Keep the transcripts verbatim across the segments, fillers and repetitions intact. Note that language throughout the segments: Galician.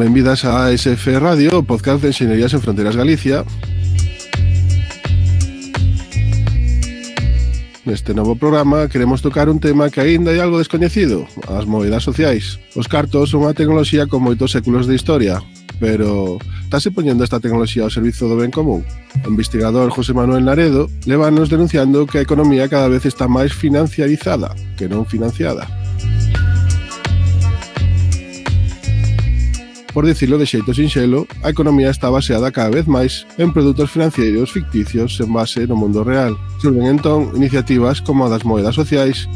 Benvidas a A S F Radio, o podcast de Enxeñerías en Fronteiras Galicia. Neste novo programa queremos tocar un tema que aínda é algo descoñecido, as moedas sociais. Os cartos son unha tecnoloxía con moitos séculos de historia, pero estáse poñendo esta tecnoloxía ao servizo do ben común? O investigador José Manuel Naredo levanos denunciando que a economía cada vez está máis financiarizada que non financiada. Por dicilo de xeito sinxelo, a economía está baseada cada vez máis en produtos financeiros ficticios en base no mundo real. Surgen entón iniciativas como a das moedas sociais.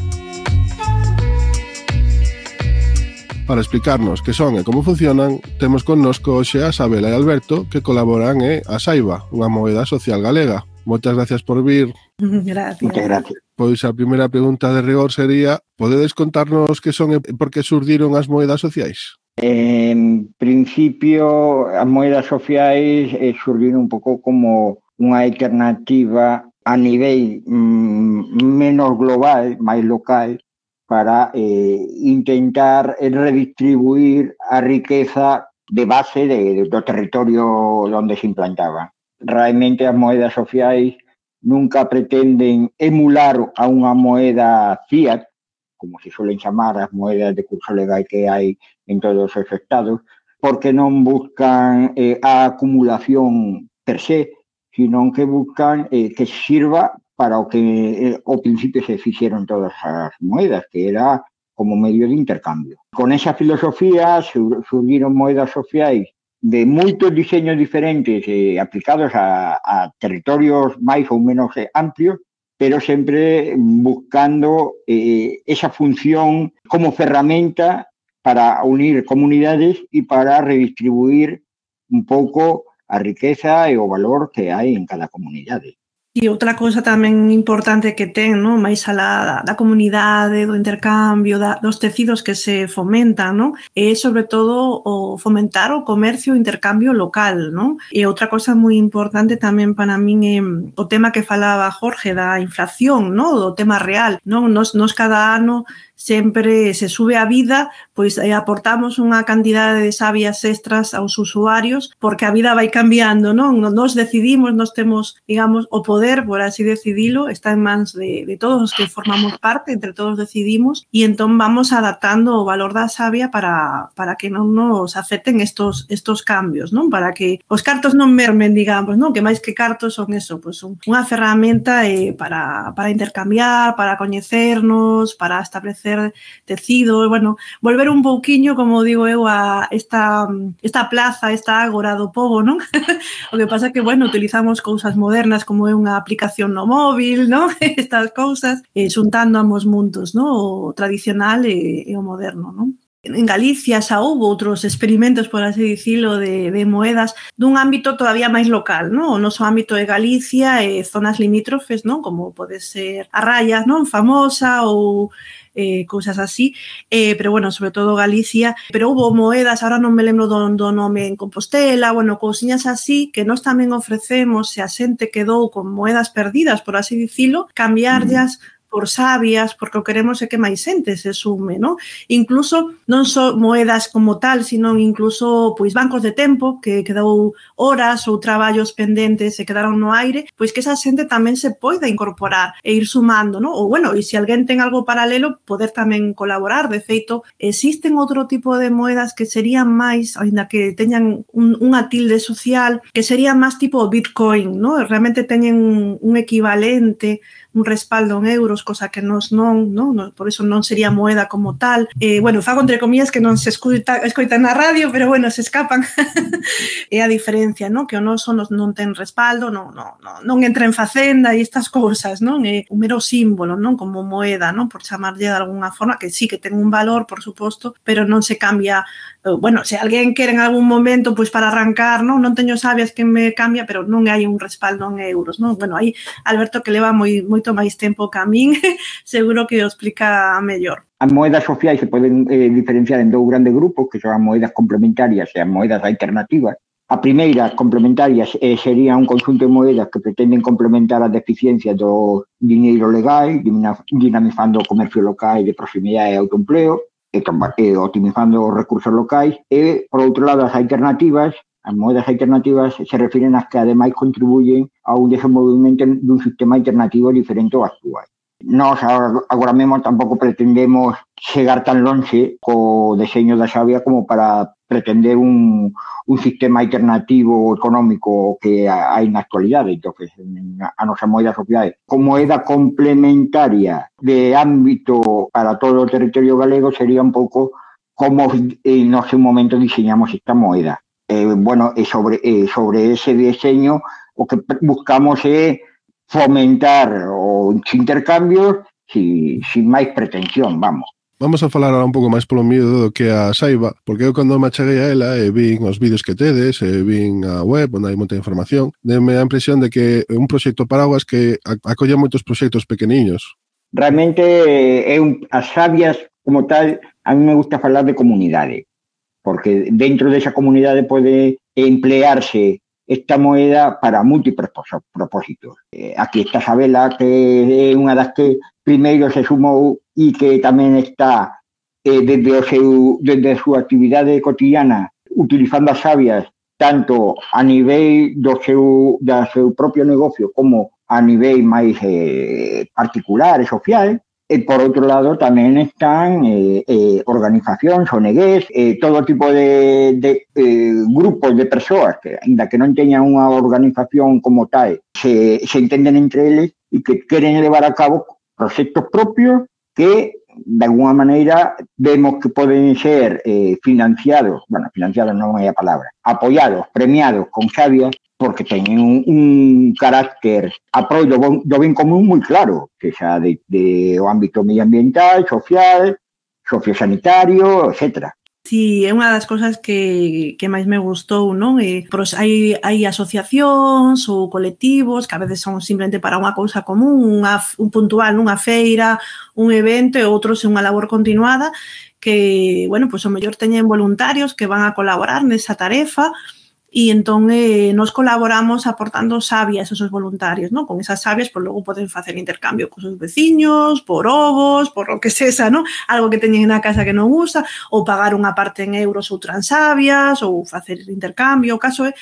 Para explicarnos que son e como funcionan, temos connosco hoxe a Sabela e Alberto, que colaboran e a Saiba, unha moeda social galega. Moitas gracias por vir. Gracias. Muchas gracias. Pois a primeira pregunta de rigor sería: podedes contarnos que son e por que surdiron as moedas sociais? En principio, as moedas sociais eh, surgiron un pouco como unha alternativa a nivel mm, menos global, máis local, para eh, intentar redistribuir a riqueza de base de, de, do territorio onde se implantaba. Realmente as moedas sociais nunca pretenden emular a unha moeda fiat, como se suelen chamar as moedas de curso legal que hai en todos os estados, porque non buscan eh, a acumulación per se, sino que buscan eh, que sirva para o que eh, ao principio se fixeron todas as moedas, que era como medio de intercambio. Con esa filosofía sur, surgiron moedas sociais de moitos diseños diferentes eh, aplicados a, a territorios máis ou menos eh, amplios, pero sempre buscando eh, esa función como ferramenta para unir comunidades e para redistribuir un pouco a riqueza e o valor que hai en cada comunidade. E outra cousa tamén importante que ten, non, máis alá da, da comunidade, do intercambio, da, dos tecidos que se fomentan, non, é sobre todo o fomentar o comercio e o intercambio local, non? E outra cousa moi importante tamén para min é o tema que falaba Jorge da inflación, non, do tema real, non? Nos, nos cada ano sempre se sube a vida, pois eh, aportamos unha cantidade de sabias extras aos usuarios, porque a vida vai cambiando, non? Nos decidimos, nos temos, digamos, o poder, por así decidilo, está en mans de, de todos os que formamos parte, entre todos decidimos, e entón vamos adaptando o valor da savia para, para que non nos afecten estos, estos cambios, non? Para que os cartos non mermen, digamos, non? Que máis que cartos son eso, pois son unha ferramenta eh, para, para intercambiar, para coñecernos, para establecer tecido, bueno, volver un pouquiño, como digo eu, a esta, esta plaza, esta ágora do pobo, non? O que pasa que, bueno, utilizamos cousas modernas como é unha aplicación no móvil, non? Estas cousas, eh, xuntando ambos mundos, non? O tradicional e, e o moderno, non? En Galicia xa houve outros experimentos, por así dicilo, de, de moedas dun ámbito todavía máis local, non? O noso ámbito de Galicia e zonas limítrofes, non? Como pode ser a Raya, non? Famosa ou eh, cousas así, eh, pero bueno, sobre todo Galicia, pero houve moedas, ahora non me lembro do, do nome, en Compostela, bueno, cousiñas así, que nós tamén ofrecemos, se a xente quedou con moedas perdidas, por así dicilo, cambiarllas mm. por sabias, porque o queremos é que máis xente se sume, non? Incluso non só moedas como tal, sino incluso pois bancos de tempo que quedou horas ou traballos pendentes e quedaron no aire, pois que esa xente tamén se poida incorporar e ir sumando, non? Ou bueno, e se alguén ten algo paralelo, poder tamén colaborar. De feito, existen outro tipo de moedas que serían máis, aínda que teñan un, unha tilde social, que serían máis tipo Bitcoin, non? Realmente teñen un, un equivalente, un respaldo en euros, cosa que nos non, non, por eso non sería moeda como tal. Eh, bueno, fago entre comillas que non se escuta, escoitan na radio, pero bueno, se escapan. É a diferencia, non? Que o noso non ten respaldo, non, non, non, non entra en facenda e estas cousas, non? É un mero símbolo, non? Como moeda, non? Por chamarlle de alguna forma, que sí que ten un valor, por suposto, pero non se cambia. Bueno, se alguén quere en algún momento, pois para arrancar, non? Non teño sabias que me cambia, pero non hai un respaldo en euros, non? Bueno, aí Alberto, que leva moi, moito máis tempo que a min, seguro que o explica mellor. As moedas sociais se poden eh, diferenciar en dous grandes grupos, que son as moedas complementarias e as moedas alternativas. A primeira, complementarias, eh, sería un conxunto de moedas que pretenden complementar as deficiencias do diñeiro legal, dinamizando o comercio local de proximidade e autoempleo. e, e optimizando os recursos locais, e, por outro lado, as alternativas, as moedas alternativas se refiren ás que ademais contribuyen a un desenvolvimento dun sistema alternativo diferente ao actual. Nós agora mesmo tampouco pretendemos chegar tan longe co deseño da xavia como para pretender un, un sistema alternativo económico que hai na actualidade. Entón, a nosa moeda social como moeda complementaria de ámbito para todo o territorio galego sería un pouco como en noso momento diseñamos esta moeda. Eh, bueno, e sobre, eh, sobre ese diseño o que buscamos é fomentar os intercambios sin, sin máis pretensión, vamos. Vamos a falar ahora un pouco máis polo mío do que a Saiba, porque eu cando me acheguei a ela e vin os vídeos que tedes, e vin a web onde hai moita información, deme a impresión de que é un proxecto paraguas que acolle moitos proxectos pequeniños. Realmente, é un, as xavias como tal, a mí me gusta falar de comunidade, porque dentro desa comunidade pode emplearse esta moeda para múltiples propósitos. Eh, aquí está Sabela, que é unha das que primeiro se sumou e que tamén está eh, desde, o seu, desde a súa actividade cotidiana utilizando as xavias tanto a nivel do seu, do seu propio negocio como a nivel máis eh, particular e social. E, por outro lado, tamén están eh, eh, organizacións, O N Gs, eh, todo tipo de, de eh, grupos de persoas que, ainda que non teñan unha organización como tal, se, se entenden entre eles e que queren levar a cabo proxectos propios que, de alguna maneira, vemos que poden ser eh, financiados, bueno, financiados non é a palabra, apoiados, premiados con xavias, porque teñen un, un carácter apoio do, do ben común moi claro, que xa de, de o ámbito medioambiental, social, sociosanitario, etcétera. Sí, é unha das cousas que, que máis me gustou, non? E, pros, hai, hai asociacións ou colectivos que a veces son simplemente para unha cousa común, unha, un puntual, nunha feira, un evento e outros é unha labor continuada que, bueno, pois o mellor teñen voluntarios que van a colaborar nesa tarefa. E entón eh, nos colaboramos aportando sabias a esos voluntarios, ¿no? Con esas sabias, pues logo poden facer intercambio con os veciños, por ovos, por lo que sexa, ¿no? Algo que teñen na casa que non usa, ou pagar unha parte en euros outra en sabias, ou facer intercambio, o caso é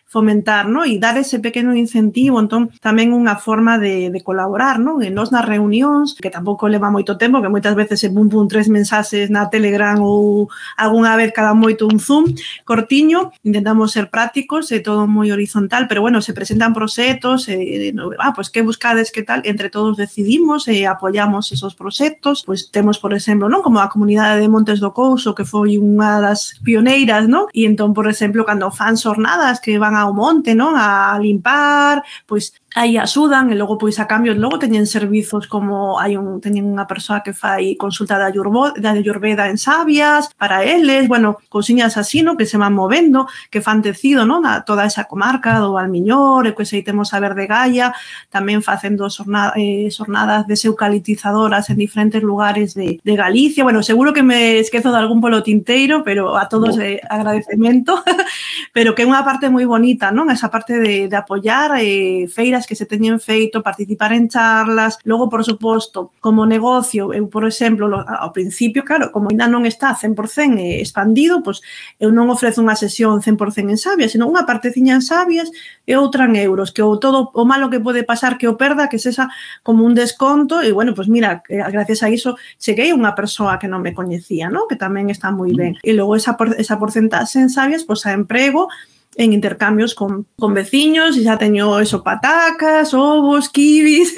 fomentar, ¿no? E dar ese pequeno incentivo, entón tamén unha forma de, de colaborar, ¿no? E nos nas reunións, que tampouco leva moito tempo, que moitas veces se pum pum tres mensaxes na Telegram ou algunha vez cada moito un Zoom, cortiño, intentamos ser prácticos e todo moi horizontal, pero bueno, se presentan proxectos, e, no, ah, pues que buscades, que tal, entre todos decidimos e apoiamos esos proxectos, pues temos, por exemplo, ¿no? Como a comunidade de Montes do Couso, que foi unha das pioneiras, ¿no? E entón, por exemplo, cando fan xornadas que van ao monte, non? A limpar, pois aí axudan e logo pois a cambio logo teñen servizos como hai un teñen unha persoa que fai consulta da Ayurveda, da Ayurveda en sabias para eles, bueno, cousiñas así, no? Que se van movendo, que fan tecido, non? A toda esa comarca do Valmiñor, e pois aí temos a Verde Gaia tamén facendo xornada, eh, xornadas deseucalitizadoras en diferentes lugares de, de Galicia. Bueno, seguro que me esquezo de algún polo tinteiro, pero a todos eh, agradecemento, pero que é unha parte moi bonita, non? Esa parte de, de apoiar eh, feiras que se teñen feito, participar en charlas, logo, por suposto, como negocio, eu, por exemplo, ao principio, claro, como ainda non está cen por cento expandido, pois eu non ofrezo unha sesión cen por cento en sabias, senón unha parteciña en sabias e outra en euros, que o todo o malo que pode pasar que o perda, que sexa como un desconto, e, bueno, pois mira, gracias a iso cheguei a unha persoa que non me coñecía, non? Que tamén está moi ben. E logo esa, esa porcentaxe en sabias, pois a emprego en intercambios con, con veciños, e xa teño eso, patacas, ovos, kibis,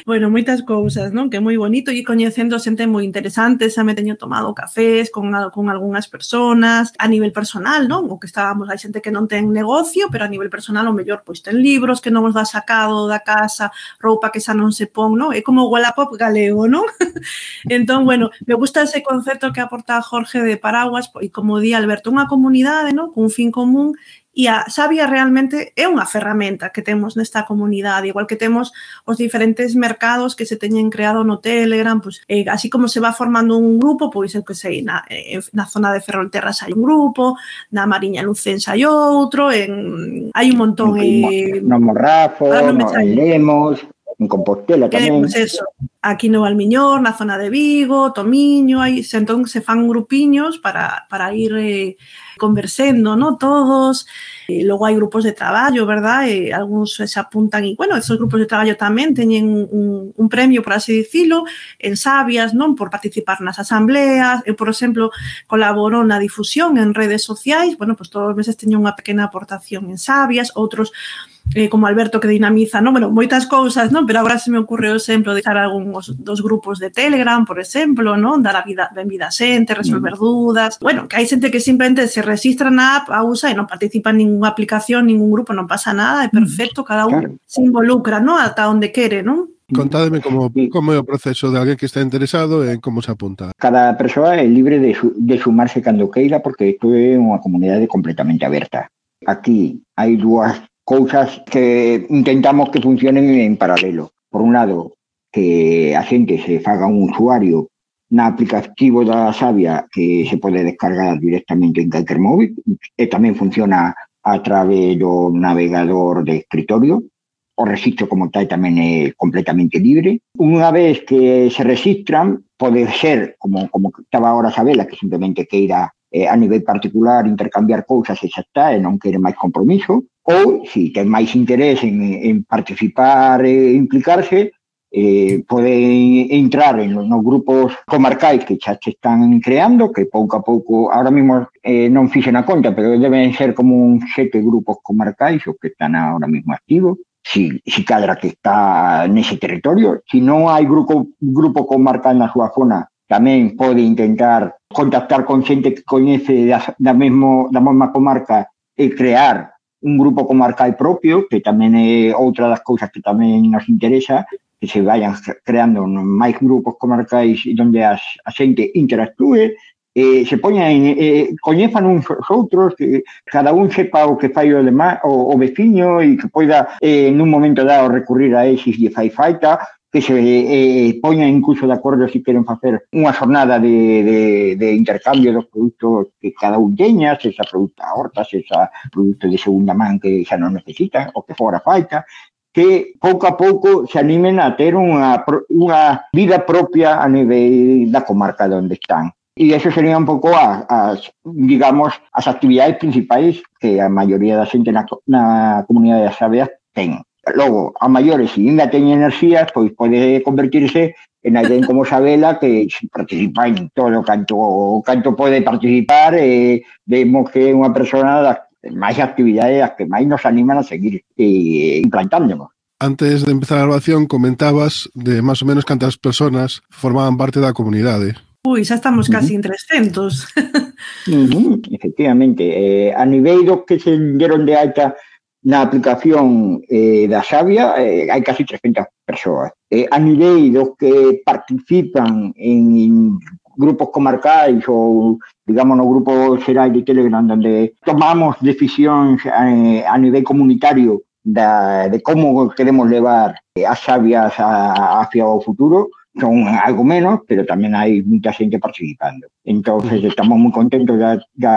bueno, moitas cousas, non? Que é moi bonito, e coñecendo xente moi interesante, xa me teño tomado cafés con, con algunhas personas, a nivel personal, non? O que estábamos, hai xente que non ten negocio, pero a nivel personal, o mellor, pois ten libros que non os dá sacado da casa, roupa que xa non se pon, non? É como o Wallapop galego, non? Entón, bueno, me gusta ese concepto que aporta Jorge de Paraguas, e como di Alberto, unha comunidade, non? Con un fin común. E a sabia realmente é unha ferramenta que temos nesta comunidade, igual que temos os diferentes mercados que se teñen creado no Telegram, pois, eh, así como se va formando un grupo, pois eu que sei, na, eh, na zona de Ferrolterras hai un grupo, na Mariña Lucense hai outro, en, hai un montón... Eh, no Morrafo, no, en Lemos... en Compostela tamén. Pues eso, aquí no Valmiñor, na zona de Vigo, Tomiño, aí, entón se fan grupiños para, para ir eh, conversendo, ¿no? Todos. E logo hai grupos de traballo, verdad? E algúns se apuntan e, bueno, esos grupos de traballo tamén teñen un, un premio, por así dicilo, en Sabias, non? Por participar nas asambleas. Eu, por exemplo, colaboro na difusión en redes sociais. Bueno, pues todos os meses teño unha pequena aportación en Sabias, outros Eh, como Alberto que dinamiza, non? Bueno, moitas cousas, non? Pero agora se me ocurre o exemplo de dar algúns dos grupos de Telegram, por exemplo, non? Dar a vida, benvida a xente, resolver mm. dúdas. Bueno, que hai xente que simplemente se registra na app, a usa e non participa en ninguna aplicación, ningún grupo, non pasa nada, é perfecto, cada un claro. se involucra, non? Ata onde quere, non? Contádeme como, como é o proceso de alguén que está interesado en como se apunta. Cada persoa é libre de, su, de sumarse cando queira, porque isto é unha comunidade completamente aberta. Aquí hai dúas cousas que intentamos que funcionen en paralelo. Por un lado, que a xente se faga un usuario na aplicativo da Sabia que se pode descargar directamente en calquer móvil e tamén funciona a través do navegador de escritorio. O registro como tal tamén é completamente libre. Unha vez que se registran, pode ser, como, como estaba agora Sabela, que simplemente queira eh, a nivel particular intercambiar cousas e xa está, e non quere máis compromiso, ou, se ten máis interés en, en participar e implicarse, eh, pode entrar en nos grupos comarcais que xa se están creando, que pouco a pouco, ahora mesmo eh, non fixen a conta, pero deben ser como un sete grupos comarcais os que están ahora mesmo activos, si, si cadra que está nese territorio. Si non hai grupo, grupo comarcal na súa zona, tamén pode intentar contactar con xente que coñece da, da, mesmo, da mesma comarca e crear un grupo comarcal propio, que tamén é outra das cousas que tamén nos interesa, que se vayan creando máis grupos comarcais onde as, a xente interactúe, eh, se poñan, eh, coñezan uns outros, que cada un sepa o que fai o, demás, o, o veciño e que poida eh, nun momento dado recurrir a eses e fai falta, que se eh, poñan incluso de acordo se queren facer unha xornada de, de, de intercambio dos produtos que cada un teña, se esa produto a horta, se esa produto de segunda man que xa non necesita, o que fora falta, que pouco a pouco se animen a ter unha, unha vida propia a nivel da comarca onde están. E eso sería un pouco as, as, digamos, as actividades principais que a maioría da xente na, na comunidade das Sabias ten. Logo, a maiores, se ainda teñen enerxías, pois pode convertirse en alguén como Sabela que participa en todo canto, canto pode participar, e vemos que é unha persona das máis actividades as que máis nos animan a seguir e implantándonos. Antes de empezar a grabación comentabas de máis ou menos cantas personas formaban parte da comunidade. Ui, xa estamos casi uh-huh. en trescentos. uh-huh, efectivamente. Eh, a nivel dos que se deron de alta na aplicación eh, da Sabia, eh, hai casi trescentas persoas. Eh, a nivel dos que participan en, en grupos comarcais ou, digamos, no grupo xeral de Telegram, onde tomamos decisións eh, a nivel comunitario da, de como queremos levar as Sabias hacia o futuro, son algo menos, pero tamén hai moita xente participando. Entón, estamos moi contentos da, da,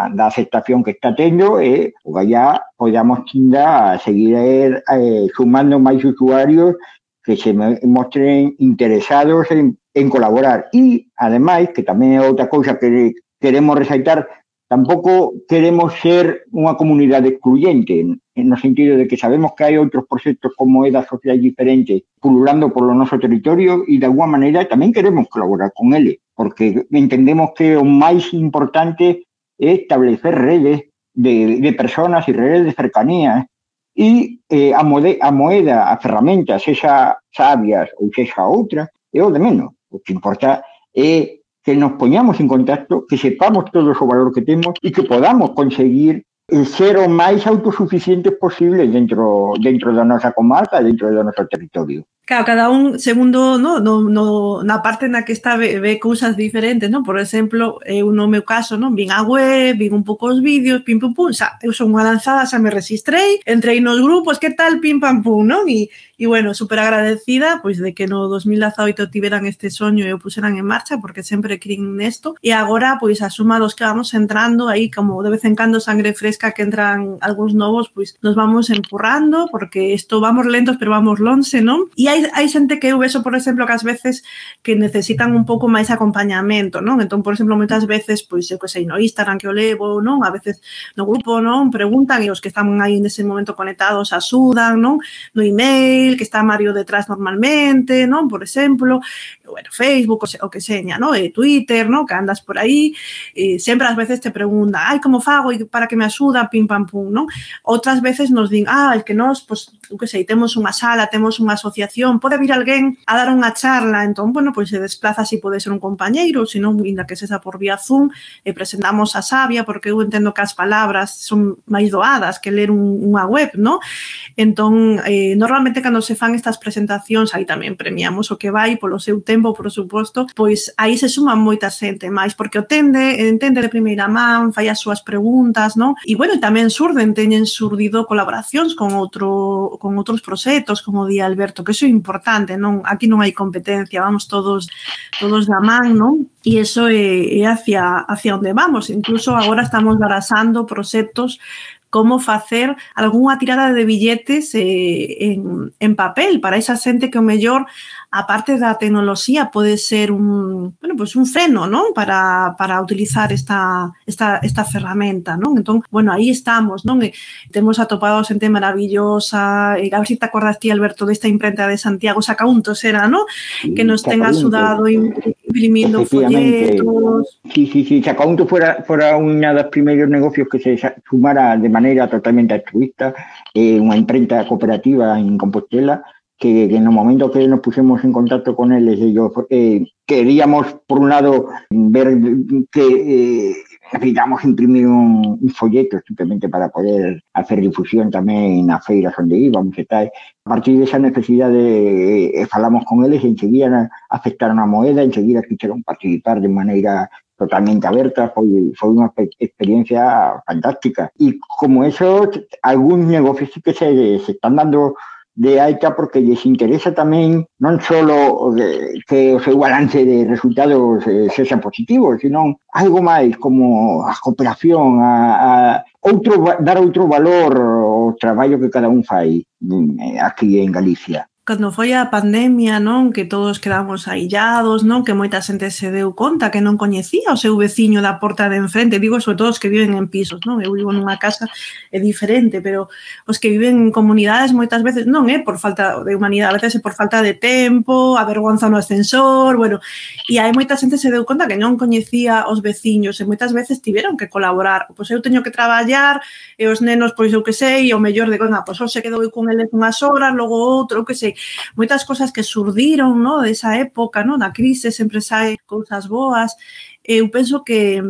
da aceptación que está tendo e ya podamos a seguir eh, sumando máis usuarios que se mostren interesados en, en colaborar. E, ademais, que tamén é outra cousa que queremos resaltar, tampouco queremos ser unha comunidade excluyente, no sentido de que sabemos que hai outros proxectos como edas sociais diferentes pululando polo noso territorio e de alguma maneira tamén queremos colaborar con eles, porque entendemos que o máis importante é establecer redes de, de personas e redes de cercanía e eh, a, mode, a moeda, a ferramenta, sexa Sabias ou sexa outra, é o de menos. O que importa é que nos poñamos en contacto, que sepamos todo o valor que temos e que podamos conseguir ser o máis autosuficientes posible dentro, dentro da nosa comarca, dentro do noso territorio. Claro, cada un segundo, no, no, no, na parte na que está ve, ve cousas diferentes, non? Por exemplo, eu no meu caso, non, vin a web, vin un pouco os vídeos, pim pum pum, xa, eu son unha lanzada, xa me registrei, entrei nos grupos, que tal, pim pam pum, non? E, e bueno, super agradecida, pois, de que no dos mil dezaoito tiveran este soño e o puseran en marcha, porque sempre crin nesto, e agora, pois, a suma dos que vamos entrando, aí, como de vez en cando sangre fresca que entran algúns novos, pois, nos vamos empurrando, porque isto vamos lentos, pero vamos lonxe, non? E hai Hai, hai xente que eu vexo, por exemplo, que ás veces que necesitan un pouco máis acompañamento, non? Entón, por exemplo, moitas veces, pois, eu que sei, no Instagram que o levo, non? A veces no grupo, non? Preguntan e os que están aí nese momento conectados axudan, non? No email, que está Mario detrás normalmente, non? Por exemplo, bueno, Facebook, o que seña, non? E Twitter, non? Que andas por aí, e sempre ás veces te preguntan, ai, como fago para que me axuda, pim, pam, pum, non? Outras veces nos din, ah, é que nós, pois, eu que sei, temos unha sala, temos unha asociación, pode vir alguén a dar unha charla, entón, bueno, pois se desplaza si pode ser un compañeiro, se non, ainda que sexa por vía Zoom, e presentamos a Sabia, porque eu entendo que as palabras son máis doadas que ler un, unha web, non? Entón, eh, normalmente cando se fan estas presentacións, aí tamén premiamos o que vai polo seu tempo, por suposto, pois aí se suman moita xente máis, porque o tende, entende de primeira man, fai as súas preguntas, non? E, bueno, tamén surden, teñen surdido colaboracións con outro con outros proxectos, como di Alberto, que iso é importante, non? Aquí non hai competencia, vamos todos todos da man, non? E iso é, é hacia, hacia onde vamos. Incluso agora estamos barasando proxectos como facer algunha tirada de billetes eh, en, en papel para esa xente que o mellor, aparte da tecnoloxía, pode ser un, bueno, pues un freno, non? Para, para utilizar esta, esta, esta ferramenta, non? Entón, bueno, aí estamos, non? E temos atopado xente maravillosa, e a ver se te acordas ti, Alberto, desta imprenta de Santiago Sacauntos era, non? Que nos ten axudado imprimindo folletos. Sí, sí, sí, Sacauntos fora, fora unha dos primeiros negocios que se sumara de maneira totalmente altruista, eh, unha imprenta cooperativa en Compostela, que, que no momento que nos pusimos en contacto con eles, ellos eh, queríamos, por un lado, ver que eh, necesitamos imprimir un, un folleto simplemente para poder hacer difusión tamén nas feiras onde íbamos e tal. A partir desa necesidade eh, falamos con eles e enseguida aceptaron a moeda, enseguida quixeron participar de maneira totalmente aberta, foi, foi unha experiencia fantástica. E como eso, algúns negocios que se, se están dando de alta porque les interesa tamén non só que o seu balance de resultados eh, sexa positivo, sino algo máis como a cooperación, a, a outro, dar outro valor ao traballo que cada un fai aquí en Galicia. Cando foi a pandemia, non, que todos quedamos aillados, non, que moita xente se deu conta que non coñecía o seu veciño da porta de enfrente, digo, sobre todo os que viven en pisos, non, eu vivo nunha casa é diferente, pero os que viven en comunidades moitas veces non é por falta de humanidade, a veces é por falta de tempo, a vergonza no ascensor, bueno, e hai moita xente se deu conta que non coñecía os veciños e moitas veces tiveron que colaborar, pois eu teño que traballar e os nenos, pois eu que sei, o mellor de, venga, pois hoxe quedo con eles unhas horas, logo outro, eu que sei, moitas cosas que surdiron, no, desa época, no, da crise, sempre sae cousas boas. Eu penso que,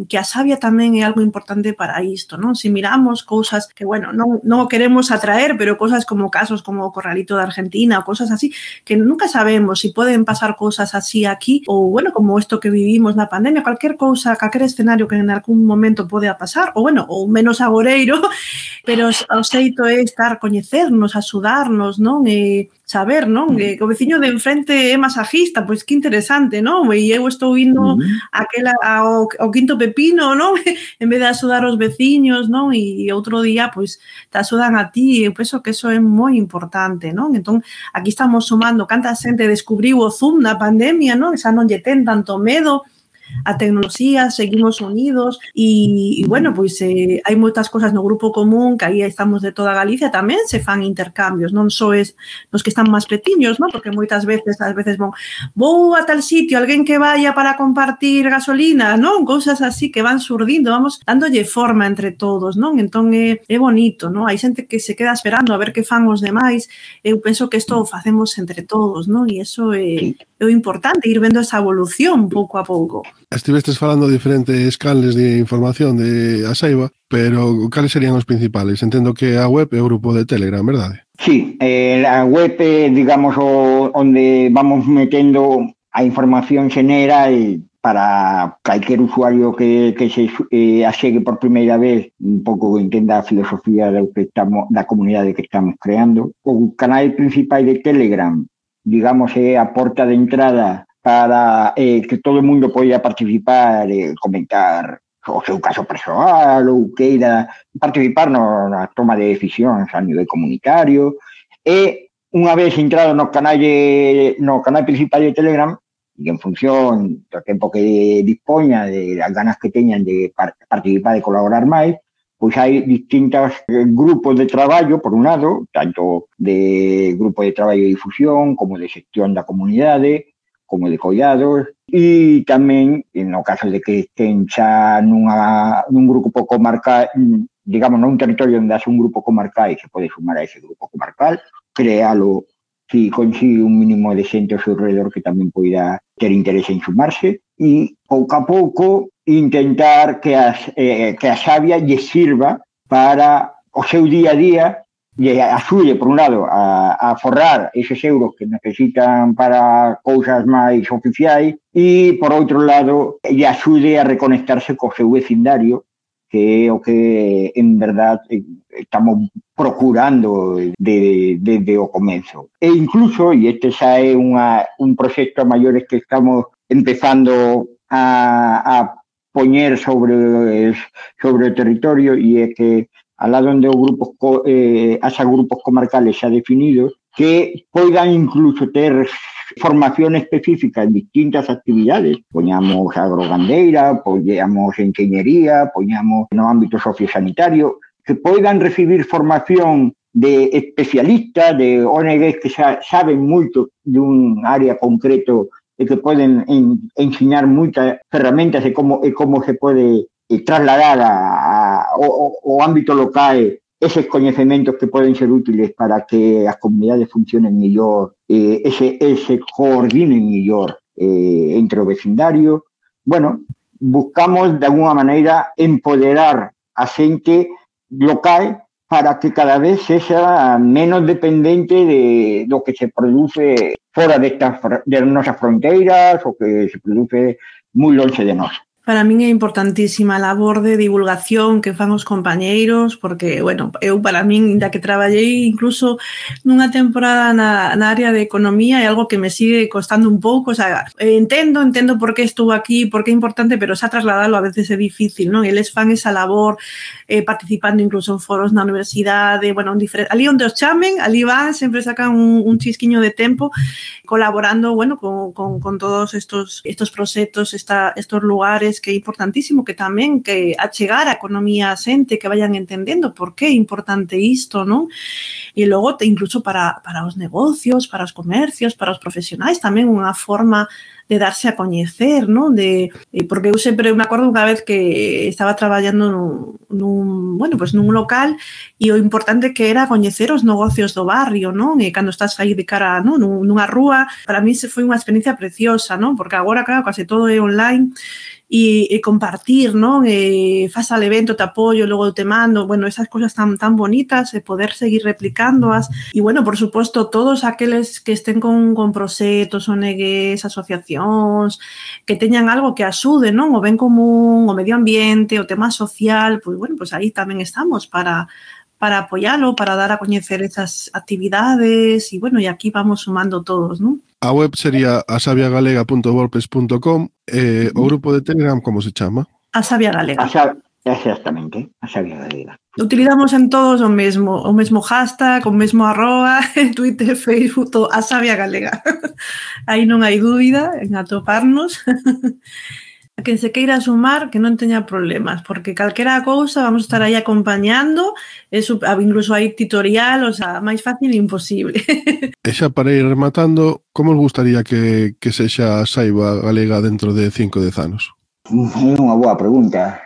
que a Sabia tamén é algo importante para isto, non? Se miramos cousas que, bueno, non, non o queremos atraer, pero cousas como casos como o Corralito de Argentina ou cousas así, que nunca sabemos se si poden pasar cousas así aquí, ou, bueno, como isto que vivimos na pandemia, cualquier cousa, cualquier escenario que en algún momento pode pasar, ou, bueno, ou menos agoreiro, pero o xeito é estar, coñecernos, axudarnos, non? E saber, non? Que o veciño de enfrente é masajista, pois que interesante, non? E eu estou indo a aquela, ao, ao quinto pepino, non? En vez de axudar os veciños, non? E outro día, pois, te axudan a ti, eu penso que eso é moi importante, non? Entón, aquí estamos sumando, canta xente descubriu o Zoom na pandemia, non? Xa non lle ten tanto medo a tecnoloxía, seguimos unidos e, e bueno, pois eh, hai moitas cosas no grupo común que aí estamos de toda Galicia, tamén se fan intercambios, non só es nos que están máis petiños, non? Porque moitas veces, ás veces vou, vou a tal sitio, alguén que vaya para compartir gasolina, non? Cousas así que van surdindo, vamos dándolle forma entre todos, non? Entón é, é bonito, non? Hai xente que se queda esperando a ver que fan os demais, eu penso que isto o facemos entre todos, non? E iso é, é o importante, ir vendo esa evolución pouco a pouco. Estivestes falando de diferentes canles de información de A Seiva, pero cales serían os principales? Entendo que a web é o grupo de Telegram, verdade? Sí, eh, la web é, digamos, o, onde vamos metendo a información xeneral para calquer usuario que, que se eh, achegue por primeira vez, un pouco entenda a filosofía do que estamos, da comunidade que estamos creando. O canal principal de Telegram, digamos, é a porta de entrada para eh, que todo o mundo poida participar, eh, comentar o seu caso persoal ou queira participar no, na toma de decisións a nivel comunitario. E unha vez entrado no canal de, no canal principal de Telegram, e en función do tempo que dispoña, de as ganas que teñan de participar e colaborar máis, pois hai distintos grupos de traballo, por un lado, tanto de grupo de traballo de difusión, como de xestión da comunidade, como de coidados, e tamén, no caso de que estén xa nunha, nun grupo comarcal, digamos, nun territorio onde haxe un grupo comarcal e se pode sumar a ese grupo comarcal, créalo si consigue un mínimo de xente ao seu redor que tamén poida ter interese en sumarse, e pouco a pouco intentar que, as, eh, que a Xavia lle sirva para o seu día a día, lle axude, por un lado, a, a forrar eses euros que necesitan para cousas máis oficiais, e, por outro lado, lle axude a reconectarse co seu vecindario, que é o que, en verdad, estamos procurando desde de, de o comezo. E incluso, e este xa é unha, un proxecto a maiores que estamos empezando a, a poñer sobre, sobre o territorio, e é que al lado onde o grupos, eh, haxa grupos comarcales xa definidos, que poidan incluso ter formación específica en distintas actividades, poñamos agrogandeira, poñamos enxeñería, poñamos no ámbito sociosanitario, que poidan recibir formación de especialistas, de O N Gs que xa saben moito dun área concreto e que poden en, ensinar moitas ferramentas e como, e como se pode eh, trasladar a, a, ao, ao ámbito local eses coñecementos que poden ser útiles para que as comunidades funcionen mellor, eh, ese, ese coordinen mellor eh, entre o vecindario. Bueno, buscamos de alguna maneira empoderar a xente local para que cada vez sexa menos dependente de do que se produce fora destas de nosas fronteiras, o que se produce moi longe de nós. Para min é importantísima a labor de divulgación que fan os compañeiros, porque, bueno, eu para min, ainda que traballei incluso nunha temporada na, na área de economía, é algo que me sigue costando un pouco, o sea, entendo, entendo por que estou aquí, por que é importante, pero xa trasladalo a veces é difícil, non? Eles fan esa labor eh, participando incluso en foros na universidade, bueno, ali onde os chamen, ali van, sempre sacan un, un chisquiño de tempo, colaborando, bueno, con, con, con todos estos, estos proxectos, esta, estos lugares, que é importantísimo que tamén que achegar a economía a xente, que vayan entendendo por que é importante isto, non? E logo incluso para, para os negocios, para os comercios, para os profesionais, tamén unha forma de darse a coñecer, non? De, porque eu sempre me acordo unha vez que estaba traballando nun, nun, bueno, pues nun local e o importante que era coñecer os negocios do barrio, non? E cando estás aí de cara, non? Nunha rúa, para mí se foi unha experiencia preciosa, non? Porque agora, claro, case todo é online, e, e compartir, non? E faz al evento, te apoio, logo te mando, bueno, esas cosas tan, tan bonitas, e poder seguir replicándoas. E, bueno, por suposto, todos aqueles que estén con, con proxectos, O N Gs, asociacións, que teñan algo que axude, non? O ben común, o medio ambiente, o tema social, pois, bueno, pois aí tamén estamos para para apoialo, para dar a coñecer esas actividades, e, bueno, e aquí vamos sumando todos, non? A web sería asabiagalega punto wordpress punto com. Eh, o grupo de Telegram, como se chama? A Sabia Galega. A Sabia, exactamente, a Sabia Galega. Utilizamos en todos o mesmo, o mesmo hashtag, o mesmo arroba, Twitter, Facebook, todo, a Sabia Galega. Aí non hai dúbida en atoparnos. A quen se queira sumar, que non teña problemas, porque calquera cousa vamos a estar aí acompañando, eso, incluso hai tutorial, o sea, máis fácil imposible. E xa para ir rematando, como os gustaría que, que sexa a Saiba Galega dentro de cinco ou dez anos? É unha boa pregunta.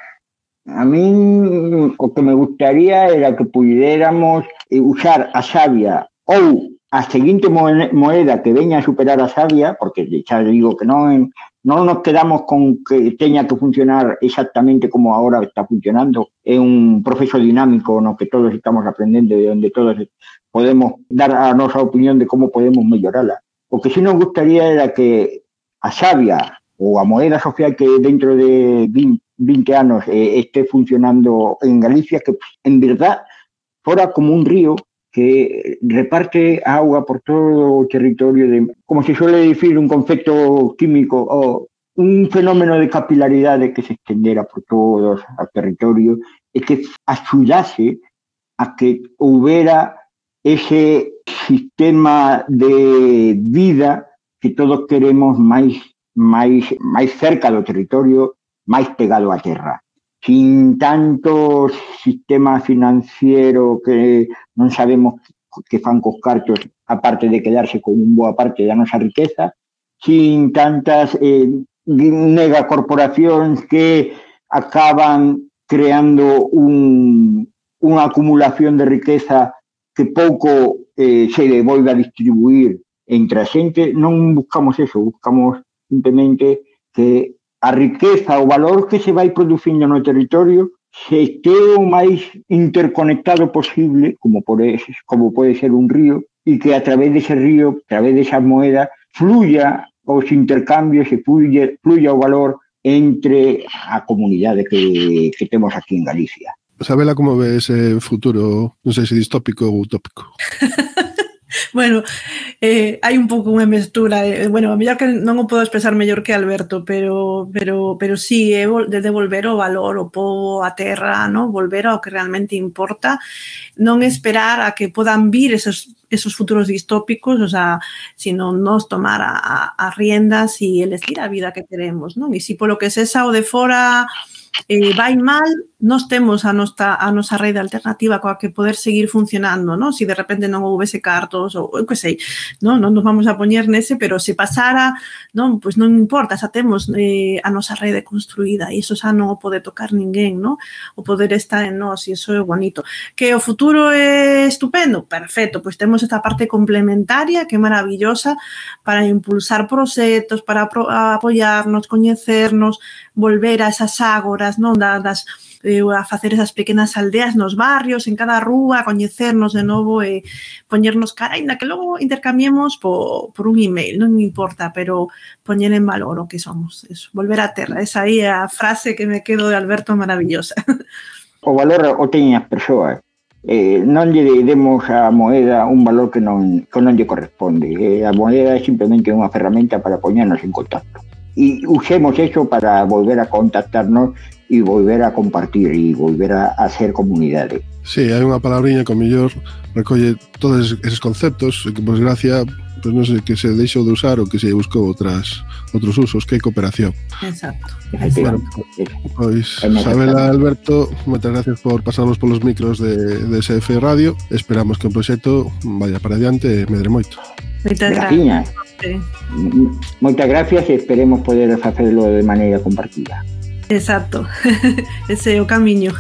A min o que me gustaría era que puidéramos usar a Xavia ou a seguinte moeda que veña a superar a sabia, porque xa digo que non, non nos quedamos con que teña que funcionar exactamente como agora está funcionando, é un proceso dinámico no que todos estamos aprendendo e onde todos podemos dar a nosa opinión de como podemos mellorala. O que sí nos gustaría era que a sabia ou a moeda social que dentro de vinte anos eh, esté funcionando en Galicia, que en verdad fora como un río que reparte auga por todo o territorio, de, como se suele dicir, un concepto químico, o un fenómeno de capilaridade que se extendera por todo o territorio e que axudase a que houbera ese sistema de vida que todos queremos máis, máis, máis cerca do territorio, máis pegado á terra. Sin tanto sistema financiero que non sabemos que fan cos cartos, aparte de quedarse con un boa parte da nosa riqueza, sin tantas eh, megacorporacións que acaban creando un, unha acumulación de riqueza que pouco eh, se volve a distribuir entre a xente. Non buscamos eso, buscamos simplemente que a riqueza, o valor que se vai producindo no territorio se este o máis interconectado posible, como, por ese, como pode ser un río, e que a través dese río, a través desa moeda, fluya os intercambios e fluya, fluya o valor entre a comunidade que, que temos aquí en Galicia. Sabela, como ve ese futuro, non sei se distópico ou utópico? Bueno, eh, hai un pouco unha mestura, eh, bueno, a mellor que non o podo expresar mellor que Alberto, pero pero pero sí, é de devolver o valor ao pobo, a terra, ¿no? Volver ao que realmente importa, non esperar a que podan vir esos esos futuros distópicos, o sea, sino nos tomar a, a, a riendas e elegir a vida que queremos, non? E se polo que sexa o de fora eh, vai mal, nós temos a nosa, a nosa rede alternativa coa que poder seguir funcionando, non? Se de repente non houvese cartos ou eu que sei, non, non nos vamos a poñer nese, pero se pasara, non, pois non importa, xa temos eh, a nosa rede construída e iso xa non o pode tocar ninguén, non? O poder estar en nós e iso é bonito. Que o futuro é estupendo? Perfecto, pois temos esta parte complementaria que é maravillosa para impulsar proxectos, para apoiarnos, coñecernos, volver a esas ágoras, non, das eh, a facer esas pequenas aldeas nos barrios, en cada rúa, coñecernos de novo e poñernos cara, ainda que logo intercambiemos por, por un email, non importa, pero poñer en valor o que somos, eso, volver á terra, esa aí é a frase que me quedo de Alberto maravillosa. O valor o teñen as persoas, eh, non lle demos a moeda un valor que non, que non lle corresponde, eh, a moeda é simplemente unha ferramenta para poñernos en contacto. E usemos eso para volver a contactarnos e volver a compartir e volver a, a ser comunidade. Sí, hai unha palabriña que ao mellor recolle todos esos conceptos e que, por desgracia, pues non sei, que se deixou de usar ou que se buscou outras outros usos, que é cooperación. Exacto. Bueno, pois, Sabela, Alberto, moitas gracias por pasarnos polos micros de, de S F Radio. Esperamos que o proxecto vaya para adiante e medre moito. Moitas gracias. Sí. Moitas gracias e esperemos poder facelo de maneira compartida. Exacto, ese é o camiño.